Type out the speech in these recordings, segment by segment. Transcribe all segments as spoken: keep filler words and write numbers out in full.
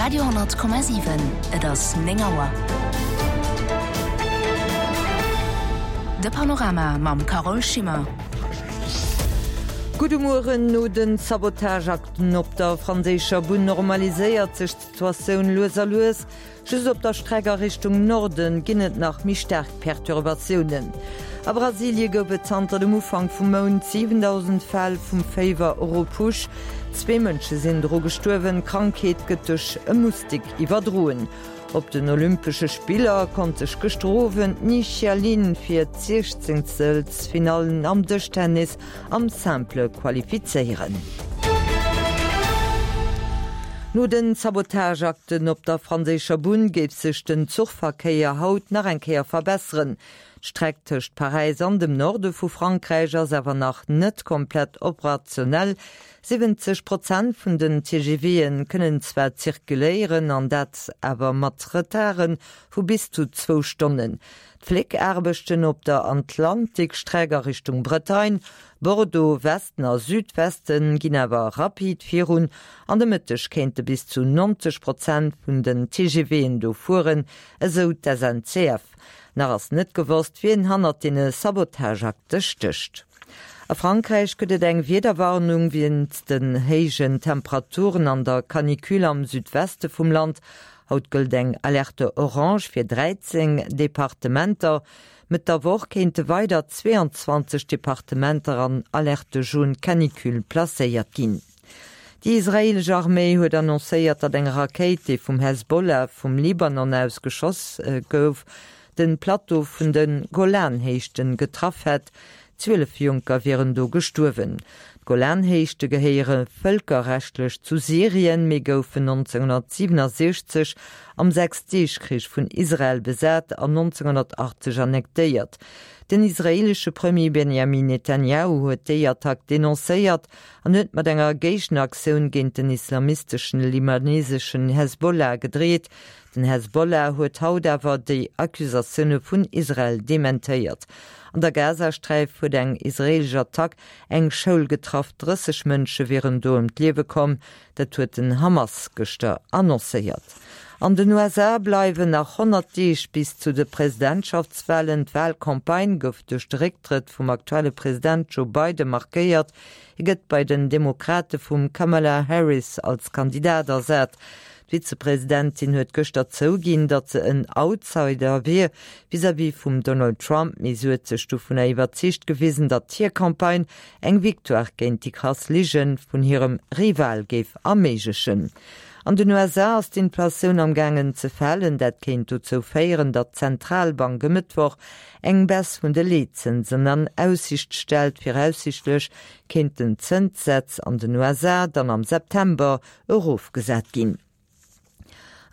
Radio honnert Komma siwen, Et ass néng Auer. De Panorama mam Carole Schimmer. Gudde Mueren. No den Sabotageakten op der franséischer Bunn normaliséiert sech d'Situatioun lues a lues. Just op der Streck a Richtung Norden ginn et nach méi staark Perturbatiounen. A Brasilie gouf et zanter dem Ufank vum Mount siwendausend Fäll vum Féiwer Oropouche. Zwee Mënsche sinn dru gestuerwen. D'Krankheet gëtt duerch e Mustik iwwerdroen. Op den Olympesche Spiller konnt sech gëschter Owend d'Ni Xia Lin fir d'Siechzéngtelsfinallen am Dëschtennis am Simple qualifizéieren. No den Sabotageakten op der franséischer Bunn géif sech den Zuchverkéier haut nach eng Kéier verbesseren. D'Streck tëscht Paräis an dem Norde vu Frankräich ass awer nach net komplett operationell. siwwenzeg Prozent vun den TGVe kënnen zwar zirkuléieren, an dat awer mat Retarde vu bis zu zwou Stonnen. D'Fléckaarbechten op der Atlantikstreck a Richtung Bretagne, Bordeaux, Westen a Südwesten ginn awer rapid virun. An de Mëtteg kéinte bis zu neunzeg Prozent vun den TGVen do fueren, esou d'SNCF. Nach ass net gewosst, wien hannert deene Sabotageakte stécht. A Frankräich gëtt et eng Wiederwarnung wéinst den héijen Temperaturen an der Canicule am Südweste vum Land. Haut gëllt eng Alerte orange fir dräizéng Departementer. Mëtt der Woch kéinte weider zweeanzwanzeg Departementer an Alerte jaune canicule placéiert ginn. Déi israeelesch Arméi huet annoncéiert, datt eng Rakéit, déi vum Hezbollah vum Libanon aus geschoss gouf, de Plateau vun de Golanhéichten getraff hätt. Zwielef Jonker wieren do gestuerwen. D'Golanhéichte gehéiere vëlkerrechtlech zu Syrien, mee goufen nonzénghunnertsiewenundsechzeg am Sechsdeegkrich vun Israel besat an nonzénghunnertachtzeg annektéiert. Den israeelesche Premier Benjamin Netanjahu huet déi Attack denoncéiert an huet mat enger Géigenaktioun géint den islamisteschen libaneseschen Hezbollah gedreet. Den Hezbollah huet haut awer déi Accusatioune vun Israel dementéiert. An der Gazasträif huet eng israeelesch Attack eng Schoul getraff, drësseg Mënsche wieren do ëm d'Liewe komm, dat huet den Hamas gëschter annoncéiert. An den U S A bleiwen nach honnert Deeg bis zu de Presidentschaftswalen. D'Walcampagne gouf duerch de Récktrëtt vum aktuelle President Joe Biden markéiert. Hie gëtt bei den Demokrate vum Kamala Harris als Kandidat ersat. D'Vizepresidentin huet gëschter zouginn, datt se en Outsider wier vis-à-vis vum Donald Trump, mee se huet sech dovunner iwwerzeegt gewisen, datt hir Campagne eng Victoire géint déi krass Lige vun hirem Rival géif erméiglechen. An den U S A ass d'Inflatioun am gaangen ze falen. Dat kéint dozou féieren, datt d'Zentralbank e Mëttwoch eng Baisse vun de Leetzënsen an Aussiicht stellt. Viraussiichtlech kéint den Zënssaz an den U S A dann am September erofgesat ginn.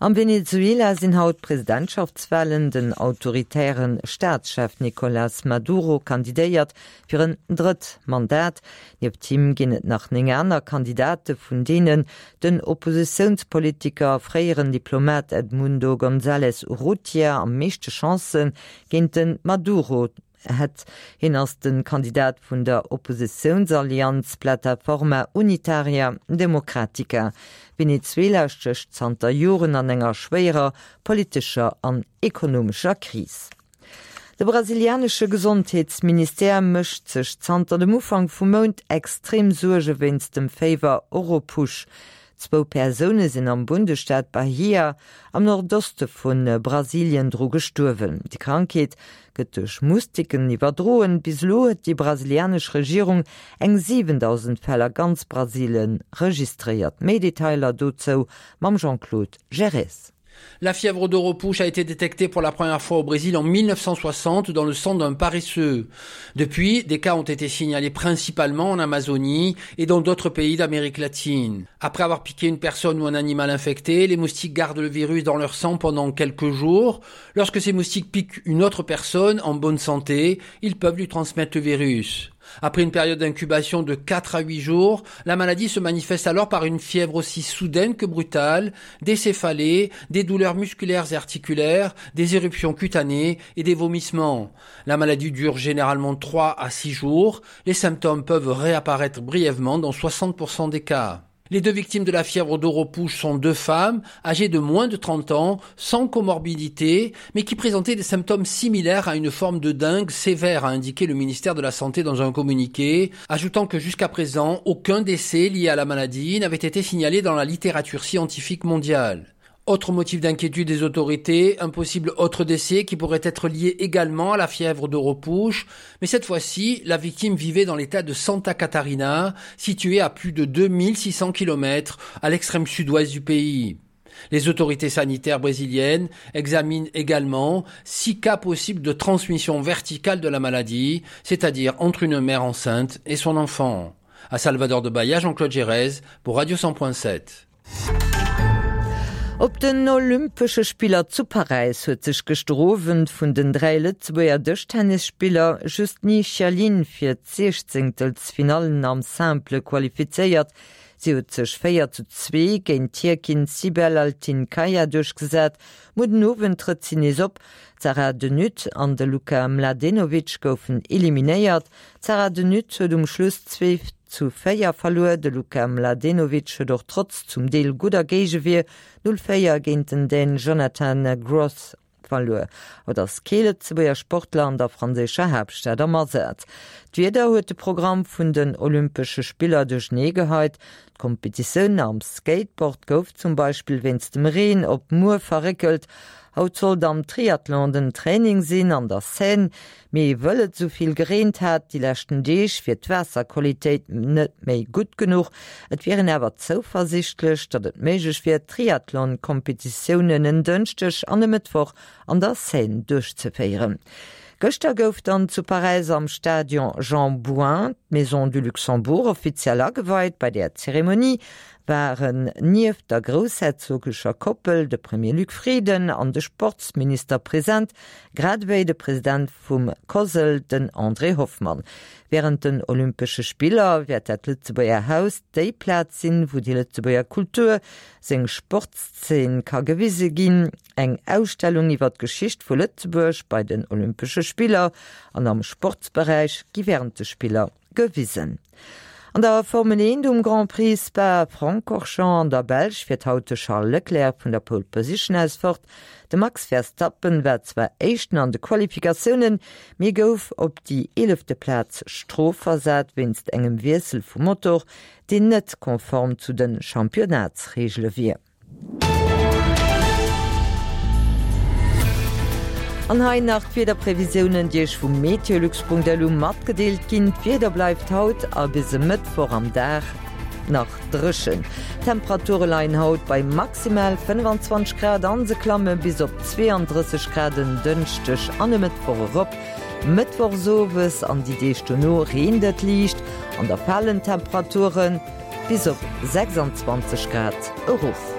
Am Venezuela sinn haut Presidentschaftswalen. Den autoritäre Staatschef Nicolas Maduro kandidéiert fir en drëtt Mandat. Nieft him ginn et nach néng aner Kandidate, vun deenen den Oppositiounspolitiker a fréieren Diplomat Edmundo González Urrutia am meeschte Chancë géint de Maduro hätt. Hien ass de Kandidat vun der Oppositiounsallianz Plataforma Unitaria Democrática. Venezuela stécht zanter Joren an enger schwéierer politescher an ekonomescher Kris. De brasilianesche Gesondheetsministère mécht sech zanter dem Ufank vum Mount extrem Suerge wéinst dem Féiwer Oropouche. Zwou Persoune sinn am Bundesstaat Bahia am Nordoste vu Brasilien dru gestuerwen. Déi Krankheet gëtt duerch Mustiken iwwerdroen. Bis elo huet déi brasilianesch Regierung eng siwendausend Fäll a ganz Brasilien registréiert. Méi Detailer dozou mam Jean-Claude Gerez. La fièvre d'Oropouche a été détectée pour la première fois au Brésil en mille neuf cent soixante dans le sang d'un paresseux. Depuis, des cas ont été signalés principalement en Amazonie et dans d'autres pays d'Amérique latine. Après avoir piqué une personne ou un animal infecté, les moustiques gardent le virus dans leur sang pendant quelques jours. Lorsque ces moustiques piquent une autre personne en bonne santé, ils peuvent lui transmettre le virus. Après une période d'incubation de quatre à huit jours, la maladie se manifeste alors par une fièvre aussi soudaine que brutale, des céphalées, des douleurs musculaires et articulaires, des éruptions cutanées et des vomissements. La maladie dure généralement trois à six jours. Les symptômes peuvent réapparaître brièvement dans soixante pour cent des cas. Les deux victimes de la fièvre d'Oropouche sont deux femmes âgées de moins de trente ans, sans comorbidité, mais qui présentaient des symptômes similaires à une forme de dengue sévère, a indiqué le ministère de la Santé dans un communiqué, ajoutant que jusqu'à présent, aucun décès lié à la maladie n'avait été signalé dans la littérature scientifique mondiale. Autre motif d'inquiétude des autorités, un possible autre décès qui pourrait être lié également à la fièvre d'Oropouche, mais cette fois-ci, la victime vivait dans l'état de Santa Catarina, situé à plus de deux mille six cents kilomètres à l'extrême sud-ouest du pays. Les autorités sanitaires brésiliennes examinent également six cas possibles de transmission verticale de la maladie, c'est-à-dire entre une mère enceinte et son enfant. À Salvador de Bahia, Jean-Claude Gérez pour Radio cent point sept. Op den Olympesche Spiller zu Paräis huet sech gëschter Owend vun den dräi Lëtzebuerger Dëschtennisspiller just Ni Xialin fir d'Siechzéngtelsfinallen am Simple qualifizéiert. Si huet sech véier zu zwee géint d'Tierkin Sibel Altinkaya duerchgesat. Muer den Owend trëtt si nees op. D'Sarah De Nutte an de Luka Mladenovic goufen eliminéiert. D'Sarah De Nutte huet um Schluss zwee zu véier verluer. De Luka Mladenovic huet och trotz zum Deel gudder Géigewier null véier géint den Dän Jonathan Groth verluer. Haut ass kee Lëtzebuerger Sportler an der franséischer Haaptstad am Asaz. D'Wieder huet de Programm vun den Olympesche Spiller duerchnee geheit. D'Kompetitioun am Skateboard gouf zum Beispill wéinst dem Reen op muer verréckelt. Haut sollt am Triathlon den Training sinn an der Seine, mee wëll et souvill gereent hat déi leschten Deeg, wier d'Waasserqualitéit net méi gutt genuch. Et wier een awer zouversiichtlech, datt et méiglech wier, Triathlon-Kompetitiounen en Dënschdeg an e Mëttwoch an der Seine duerchzeféieren. Gëschter gouf dann zu Paräis am Stadion Jean Bouin d'Maison du Luxembourg offiziell ageweit. Bei der Zeremonie waren nieft der groussherzogescher Koppel de Premier Luc Frieden an de Sportsminister present, grad ewéi de President vum COSL, den André Hoffmann. Wärend den Olympesche Spiller wäert dat Lëtzebuerger Haus déi Plaz sinn, wou déi Lëtzebuerger Kultur, seng Sportszeen ka gewise ginn. Eng Ausstellung iwwer d'Geschicht vu Lëtzebuerg bei den Olympesche Spiller an am Sportsberäich gi wärend de Spiller gewisen. An der Formel eent um Grand Prix Spa-Francorchamps an der Belsch fiert haut de Charles Leclerc vun der Pole Position aus fort. De Max Verstappen war zwar Éischten an de Qualifikatiounen, mee gouf op déi eelefte Plaz strofversat wéinst engem Wiessel vum Motor, deen net konform zu de Championnatsreegele wier. An hei nach d'Wiederprevisiounen, déi iech vu meteolux punkt lu matgedeelt ginn. D'Wieder bleift haut a bis e Mëttwoch am Dag nach dréchen. D'Temperature leien haut bei maximal fënnwanzwanzeg Grad an se klamme bis op zweeëndrësseg Grad en Dënschdeg an e Mëttwoch erop. Mëttwochsowes an déi Deeg dono reent et liicht an da falen d'Temperaturen bis op sechsandzwanzeg Grad erof.